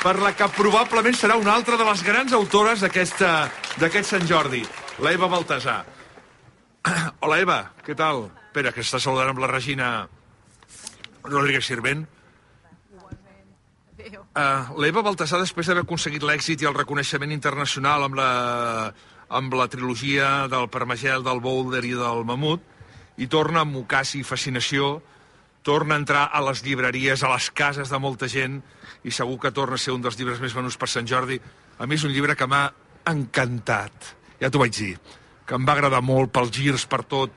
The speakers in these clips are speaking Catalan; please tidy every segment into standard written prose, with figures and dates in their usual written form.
per la que probablement serà una altra de les grans autores d'aquest Sant Jordi, la Eva Baltasar. Hola, Eva, què tal? Espera, que està saludant amb la Regina Rodríguez Sirvent. L'Eva Baltasar, després d'haver aconseguit l'èxit i el reconeixement internacional amb la trilogia del Permagel, del Boulder i del Mamut, i torna amb Ocasi i Fascinació, torna a entrar a les llibreries, a les cases de molta gent, i segur que torna a ser un dels llibres més venuts per Sant Jordi. A mi és un llibre que m'ha encantat, ja t'ho vaig dir, que em va agradar molt pels girs, per tot.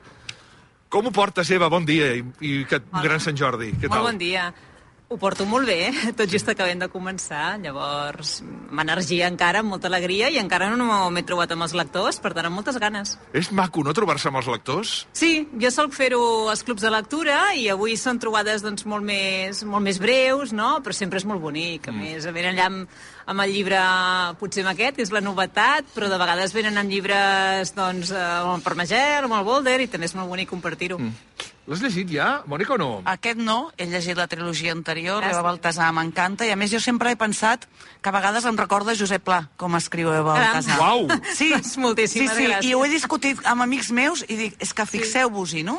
Com ho portes, Eva? Bon dia i gran Sant Jordi. Què tal? Molt bon dia. Ho porto molt bé, tot just acabem de començar, llavors amb energia encara, amb molta alegria, i encara no m'he trobat amb els lectors, per tant, amb moltes ganes. És maco, no, trobar-se amb els lectors? Sí, jo solc fer-ho als clubs de lectura, i avui són trobades doncs, molt més breus, no? Però sempre és molt bonic. A més, venen allà amb el llibre, potser amb aquest, que és la novetat, però de vegades venen amb llibres doncs, amb el Permagel, amb el Boulder, i també és molt bonic compartir-ho. L'has llegit ja, Mònica, o no? Aquest no, he llegit la trilogia anterior, Eva Baltasar m'encanta, i a més jo sempre he pensat que a vegades em recorda Josep Pla, com escriu Eva Baltasar. Uau! Sí, moltíssimes gràcies. I ho he discutit amb amics meus i dic, és que fixeu-vos-hi, no?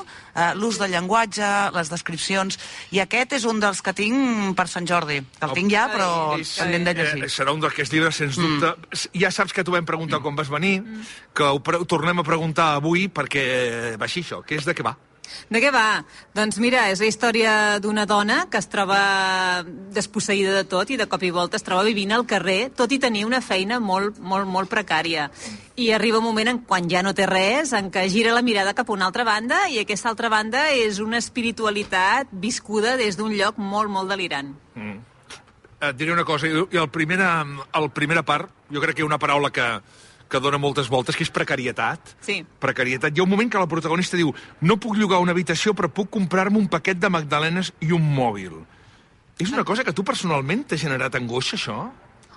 L'ús del llenguatge, les descripcions, i aquest és un dels que tinc per Sant Jordi, que el tinc ja, però també hem de llegir. Serà un d'aquests llibres, sens dubte. Ja saps que t'ho vam preguntar quan vas venir, que ho tornem a preguntar avui perquè va així això, que és de què va? De què va? Doncs mira, és la història d'una dona que es troba desposseïda de tot i de cop i volta es troba vivint al carrer, tot i tenir una feina molt precària. I arriba un moment quan ja no té res, en què gira la mirada cap a una altra banda, i aquesta altra banda és una espiritualitat viscuda des d'un lloc molt delirant. Et diré una cosa, i el primera part, jo crec que hi ha una paraula que dona moltes voltes, que és precarietat. Sí. Precarietat. Hi ha un moment que la protagonista diu: no puc llogar una habitació, però puc comprar-me un paquet de magdalenes i un mòbil. És una cosa que tu personalment t'ha generat angoixa, això?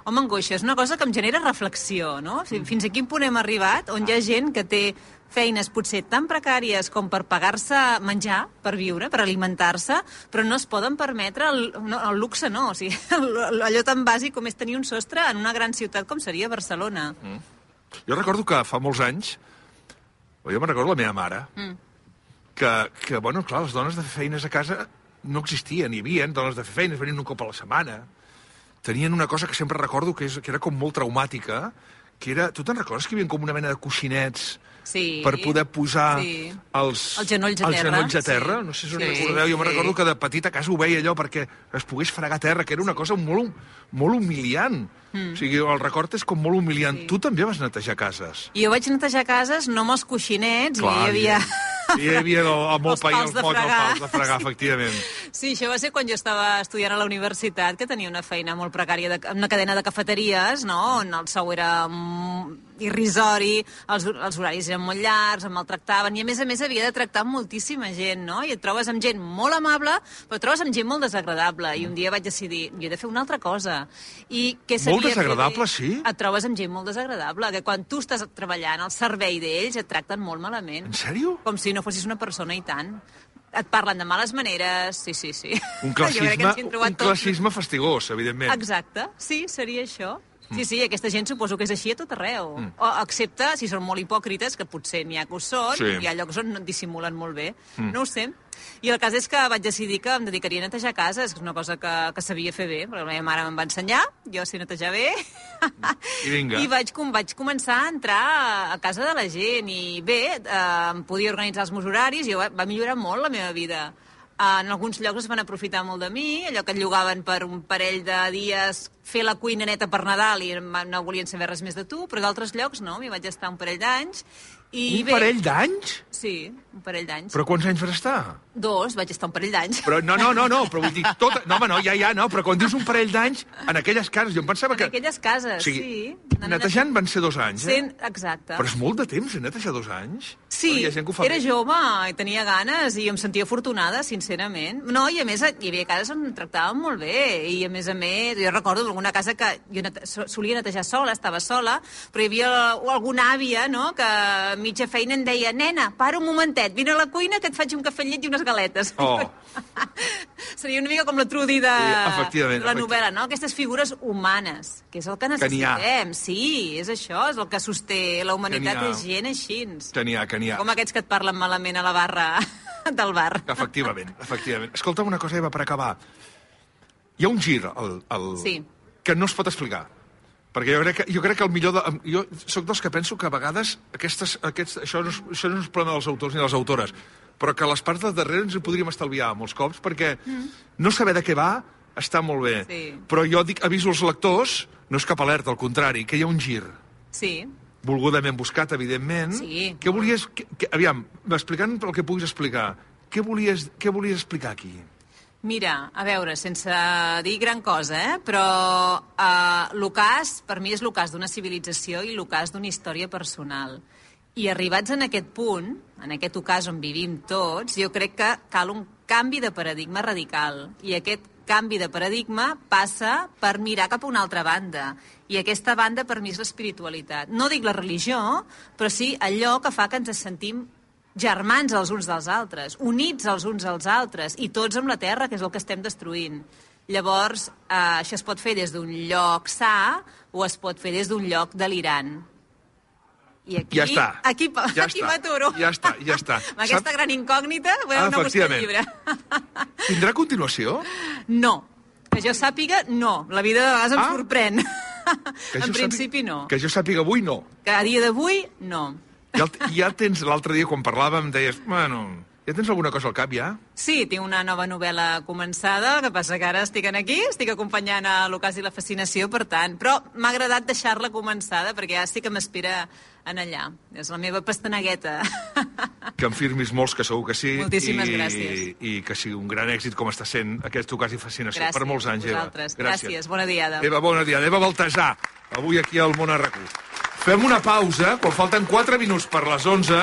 Home, angoixa, és una cosa que em genera reflexió, no? Fins a quin punt hem arribat, on hi ha gent que té feines potser tan precàries com per pagar-se menjar, per viure, per alimentar-se, però no es poden permetre el luxe, no. O sigui, allò tan bàsic com és tenir un sostre en una gran ciutat com seria Barcelona. Jo recordo que fa molts anys, jo me'n recordo la meva mare, que, bueno, clar, les dones de fer feines a casa no existien, hi havia dones de fer feines, venien un cop a la setmana. Tenien una cosa que sempre recordo que era com molt traumàtica, que era, tu te'n recordes que hi havia com una mena de coixinets per poder posar els genolls a terra? No sé si us recordeu, jo me'n recordo que de petit a casa ho veia allò perquè es pogués fregar a terra, que era una cosa molt humiliant. O sigui, el record és com molt humiliant. Tu també vas netejar cases. Jo vaig netejar cases, no amb els coixinets, clar, i hi havia... Hi havia el molt pa i el pals de fregar, efectivament. Sí, això va ser quan jo estava estudiant a la universitat, que tenia una feina molt precària, una cadena de cafeteries, no?, on el sou era irrisori, els horaris eren molt llargs, em maltractaven, i a més havia de tractar amb moltíssima gent, no? I et trobes amb gent molt amable, però et trobes amb gent molt desagradable, i un dia vaig decidir, jo he de fer una altra cosa. I què sabia molt desagradable, sí? Et trobes amb gent molt desagradable, que quan tu estàs treballant al servei d'ells et tracten molt malament. En sèrio? Com si no fossis una persona, i tant. Et parlen de males maneres, sí. Un classisme fastigós, evidentment. Exacte, sí, seria això. Sí, aquesta gent suposo que és així a tot arreu. O excepte si són molt hipòcrites, que potser n'hi ha que ho són, hi ha llocs on dissimulen molt bé. No ho sé. I el cas és que vaig decidir que em dedicaria a netejar cases, que és una cosa que sabia fer bé, perquè la meva mare me'n va ensenyar, jo sé netejar bé, i vaig començar a entrar a casa de la gent, i bé, em podia organitzar els meus horaris, i va millorar molt la meva vida. En alguns llocs es van aprofitar molt de mi, allò que et llogaven per un parell de dies fer la cuina neta per Nadal i no volien saber res més de tu, però d'altres llocs no, m'hi vaig estar un parell d'anys. Parell d'anys? Sí, un parell d'anys. Però quants anys vas estar? 2, vaig estar un parell d'anys. Però no, però vull dir, però quan dius un parell d'anys, en aquelles cases, jo em pensava que... En aquelles cases, sí. Netejant van ser 2 anys, Exacte. Però és molt de temps, netejar 2 anys? Sí, era jove, i tenia ganes, i em sentia afortunada, sincerament. No, i a més, hi havia cases on em tractaven molt bé, i a més, jo recordo alguna casa que jo solia netejar sola, estava sola, però hi havia alguna àvia, no?, que a mitja feina em deia: nena, para un momentet, vine a la cuina que et faig un cafè amb llet i unes galetes. Seria una mica com la Trudy de la novel·la, no? Aquestes figures humanes, que és el que necessitem. Sí, és això, és el que sosté la humanitat, és gent així. Que n'hi ha. Com aquests que et parlen malament a la barra del bar. Efectivament. Escolta una cosa, Eva, per acabar. Hi ha un gir que no es pot explicar. Perquè jo crec que el millor... Jo soc dels que penso que a vegades això no és un problema dels autors ni de les autores, però que les parts de darrere ens ho podríem estalviar molts cops, perquè no saber de què va està molt bé. Sí. Però jo aviso als lectors, no és cap alerta, al contrari, que hi ha un gir. Sí. Volgudament buscat, evidentment. Sí. Què volies... Aviam, explicant el que puguis explicar, què volies explicar aquí? Mira, a veure, sense dir gran cosa, però l'ocàs, per mi és l'ocàs d'una civilització i l'ocàs d'una història personal. I arribats en aquest punt, en aquest ocàs on vivim tots, jo crec que cal un canvi de paradigma radical. I aquest canvi de paradigma passa per mirar cap a una altra banda. I aquesta banda, per mi, és l'espiritualitat. No dic la religió, però sí allò que fa que ens sentim germans els uns dels altres, units els uns als altres, i tots amb la terra, que és el que estem destruint. Llavors, això es pot fer des d'un lloc sa o es pot fer des d'un lloc delirant. I aquí, ja està. Aquí m'aturo. Ja està. Amb aquesta gran incògnita, podem anar a buscar el llibre. Tindrà continuació? No. Que jo sàpiga, no. La vida de vegades em sorprèn. En principi, no. Que jo sàpiga avui, no. Que a dia d'avui, no. Ja tens, l'altre dia, quan parlàvem, deies, bueno, ja tens alguna cosa al cap, ja? Sí, tinc una nova novel·la començada, el que passa que ara estic aquí, estic acompanyant a l'Ocàs i la Fascinació, per tant, però m'ha agradat deixar-la començada, perquè ja sí que m'espera en allà. És la meva pastanegueta. Que en firmis molts, que segur que sí. Moltíssimes gràcies. I que sigui un gran èxit, com està sent aquest Ocàs i Fascinació. Gràcies, per molts anys, Eva. Gràcies, bona diada. Eva, bona diada. Eva Baltasar, avui aquí al Món a RAC1. Fem una pausa, quan falten 4 minuts per les 11.